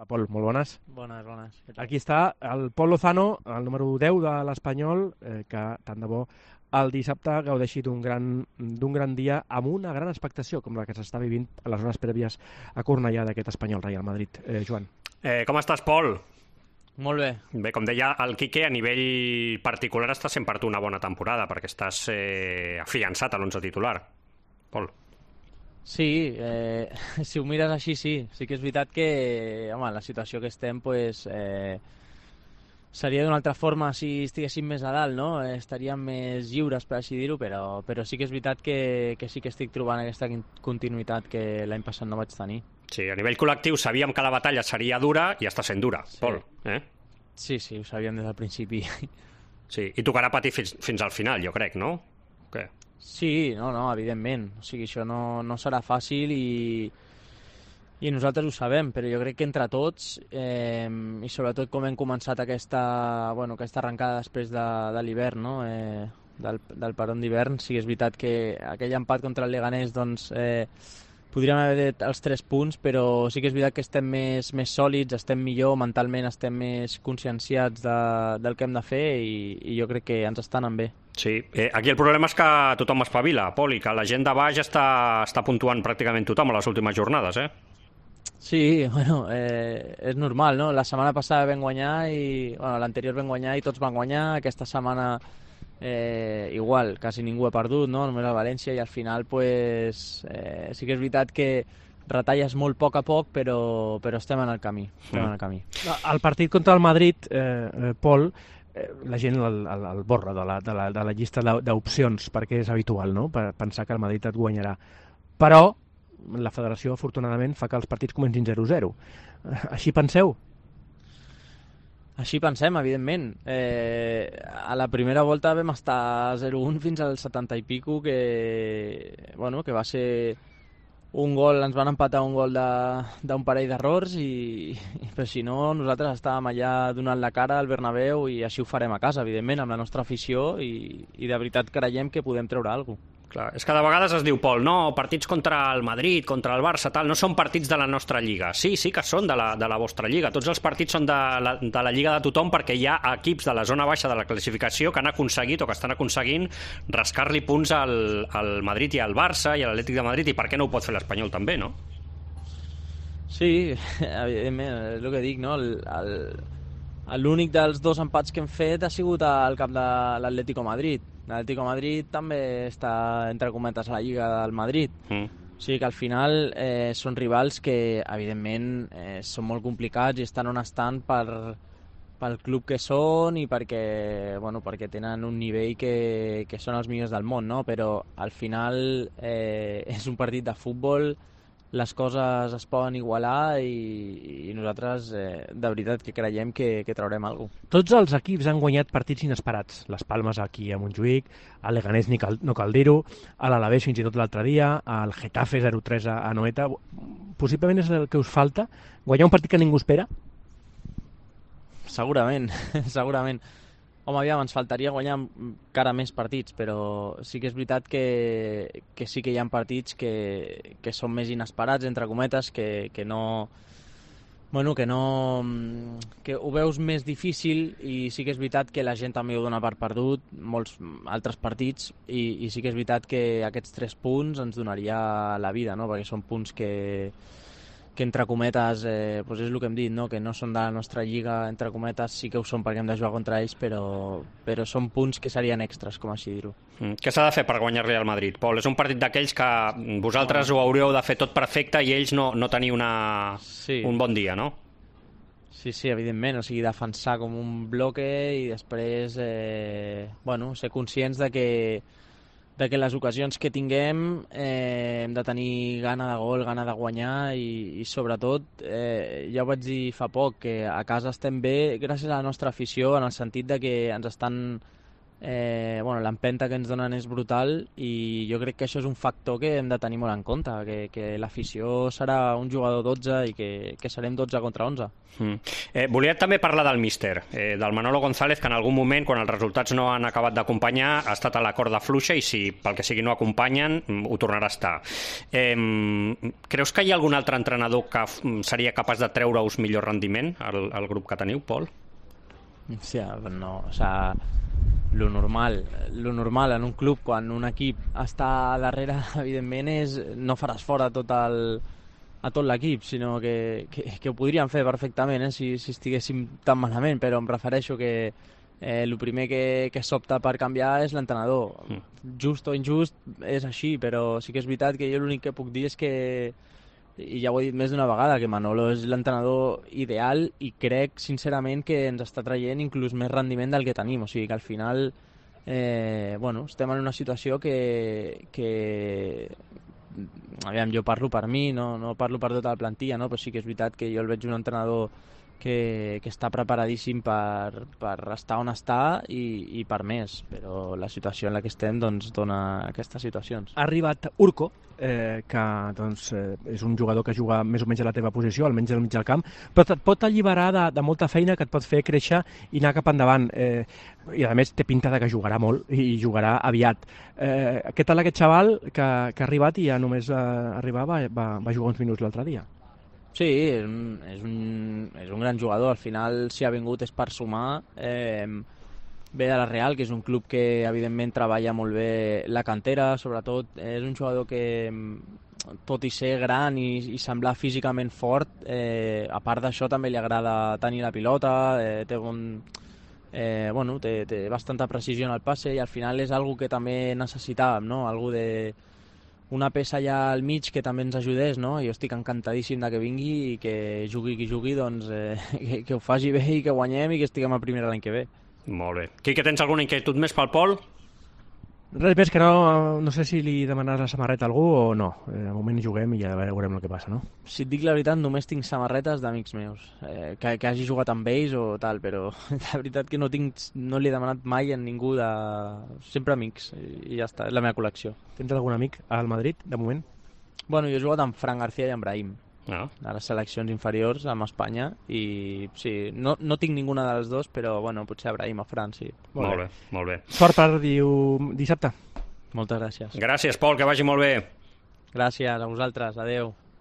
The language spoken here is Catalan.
Pol, molt bones. Bones, bones. Aquí està el Pol Lozano, el número 10 de l'Espanyol, que tant de bo el dissabte gaudeixi d'un gran dia amb una gran expectació com la que s'està vivint a les hores prèvies a Cornellà d'aquest Espanyol Real Madrid. Joan. Com estàs, Pol? Molt bé. Bé, com deia el Quique, a nivell particular està sent per tu una bona temporada, perquè estàs afiançat a l'11 titular. Pol. Sí, si ho mires així, sí. Sí que és veritat que, home, la situació que estem, pues, seria d'una altra forma si estiguéssim més a dalt, no? Estaríem més lliures, per així dir-ho, però sí que és veritat que sí que estic trobant aquesta continuïtat que l'any passat no vaig tenir. Sí, a nivell col·lectiu sabíem que la batalla seria dura i està sent dura, Sí. Pol. Sí, ho sabíem des del principi. Sí, i tocarà patir fins al final, jo crec, no? Què? Sí, no, evidentment. O sigui, això no serà fàcil i nosaltres ho sabem, però jo crec que entre tots, i sobretot com hem començat aquesta arrencada després de l'hivern, no? Del peron d'hivern, sí que és veritat que aquell empat contra el Leganés, doncs, podríem haver dit els 3 punts, però sí que és veritat que estem més sòlids, estem millor, mentalment estem més conscienciats del que hem de fer i jo crec que ens està anant bé. Sí, aquí el problema és que tothom espavila, Pol, i que la gent de baix està puntuant pràcticament tothom a les últimes jornades, Sí, bueno, és normal, no? La setmana passada vam guanyar l'anterior vam guanyar i tots van guanyar, aquesta setmana igual, quasi ningú ha perdut, no? Només el València, i al final pues, sí que és veritat que retalles molt a poc, però estem en el camí. El partit contra el Madrid, Pol, la gent el borra de la llista d'opcions, perquè és habitual, no? Per pensar que el Madrid et guanyarà. Però la federació, afortunadament, fa que els partits comencin 0-0. Així penseu? Així pensem, evidentment. A la primera volta vam estar 0-1 fins al 70 i pico, que va ser un gol, ens van empatar un gol d'un parell d'errors, però si no, nosaltres estàvem allà donant la cara al Bernabéu i així ho farem a casa, evidentment, amb la nostra afició i de veritat creiem que podem treure alguna cosa. Clar, és que de vegades es diu, Pol, no, partits contra el Madrid, contra el Barça, tal, no són partits de la nostra lliga. Sí que són de la vostra lliga. Tots els partits són de la lliga de tothom, perquè hi ha equips de la zona baixa de la classificació que han aconseguit o que estan aconseguint rascar-li punts al Madrid i al Barça i a l'Atlètic de Madrid, i per què no ho pot fer l'Espanyol també, no? Sí, evidentment, és el que dic, no? L'únic dels 2 empats que hem fet ha sigut al camp de l'Atlético Madrid. L'Atlético Madrid també està, entre cometes, a la Lliga del Madrid. O sigui que al final són rivals que, evidentment, són molt complicats i estan on estan pel club que són i perquè tenen un nivell que són els millors del món, no? Però al final és un partit de futbol, les coses es poden igualar i nosaltres de veritat que creiem que traurem alguna cosa. Tots els equips han guanyat partits inesperats. Les Palmes aquí a Montjuïc, el Leganés no cal dir-ho, a l'Alavés fins i tot l'altre dia, el Getafe 0-3 a Anoeta. Possiblement és el que us falta? Guanyar un partit que ningú espera? Segurament. Home, aviam, ens faltaria guanyar encara més partits, però sí que és veritat que sí que hi ha partits que són més inesperats, entre cometes, que ho veus més difícil, i sí que és veritat que la gent també ho dona per perdut, molts altres partits, i sí que és veritat que aquests 3 punts ens donaria la vida, no? Perquè són punts que entre cometes, doncs és el que hem dit, no? Que no són de la nostra lliga, entre cometes sí que ho són perquè hem de jugar contra ells, però són punts que serien extras, com així dir-ho. Què s'ha de fer per guanyar-li al Madrid, Pol? És un partit d'aquells que vosaltres ho hauríeu de fer tot perfecte i ells no tenir un bon dia, no? Sí, evidentment, o sigui, defensar com un bloque i després ser conscients de que les ocasions que tinguem hem de tenir gana de gol, gana de guanyar i sobretot, ja ho vaig dir fa poc, que a casa estem bé gràcies a la nostra afició, en el sentit de que ens estan l'empenta que ens donen és brutal i jo crec que això és un factor que hem de tenir molt en compte, que l'afició serà un jugador 12 i que serem 12 contra 11. Volia també parlar del míster, del Manolo González, que en algun moment, quan els resultats no han acabat d'acompanyar, ha estat a la corda fluixa i si pel que sigui no acompanyen, ho tornarà a estar. Creus que hi ha algun altre entrenador que seria capaç de treure-us millor rendiment al grup que teniu, Pol? Hòstia, no, o sea, lo normal en un club quan un equip està darrere, evidentment, és no faràs fora a tot l'equip, sinó que ho podríem fer perfectament, si estiguéssim tan malament, però em refereixo que el primer que s'opta per canviar és l'entrenador. Just o injust és així, però sí que és veritat que jo l'únic que puc dir és que, i ja ho he dit més d'una vegada, que Manolo és l'entrenador ideal i crec sincerament que ens està traient inclús més rendiment del que tenim, o sigui que al final estem en una situació que aviam, jo parlo per mi, no parlo per tota la plantilla, no? Però sí que és veritat que jo el veig un entrenador que està preparadíssim per estar on està i per més, però la situació en la que estem doncs dona aquestes situacions. Ha arribat Urco, que doncs, és un jugador que juga més o menys a la teva posició, almenys al mig del camp, però et pot alliberar de molta feina que et pot fer créixer i anar cap endavant. I a més té pinta de que jugarà molt i jugarà aviat. Què tal aquest xaval que ha arribat i ja només arribar va jugar uns minuts l'altre dia? Sí, és un gran jugador, al final si ha vingut és per sumar, ve de la Real, que és un club que evidentment treballa molt bé la cantera, sobretot és un jugador que tot i ser gran i semblar físicament fort, a part d'això també li agrada tenir la pilota, té bastanta precisió en el passe i al final és algo que també necessitàvem, no? Algo de una peça allà al mig que també ens ajudés, no? Jo estic encantadíssim de que vingui i que jugui qui jugui, doncs que ho faci bé i que guanyem i que estiguem a primera l'any que ve. Molt bé. Quique, tens alguna inquietud més pel Pol? Res més que no sé si li demanaràs la samarreta a algú o no. De moment juguem i ja veurem el que passa, no? Si et dic la veritat, només tinc samarretes d'amics meus, que hagi jugat amb ells o tal, però la veritat que no li he demanat mai a ningú, sempre amics, i ja està, és la meva col·lecció. Tens algun amic al Madrid, de moment? Bueno, jo he jugat amb Fran García i amb Brahim, a les seleccions inferiors amb Espanya, i sí, no tinc ninguna dels dos, però bueno, potser a Brahim o Fran, sí. Molt bé. Sort per dissabte. Moltes gràcies. Gràcies, Pol, que vagi molt bé. Gràcies a vosaltres, adeu.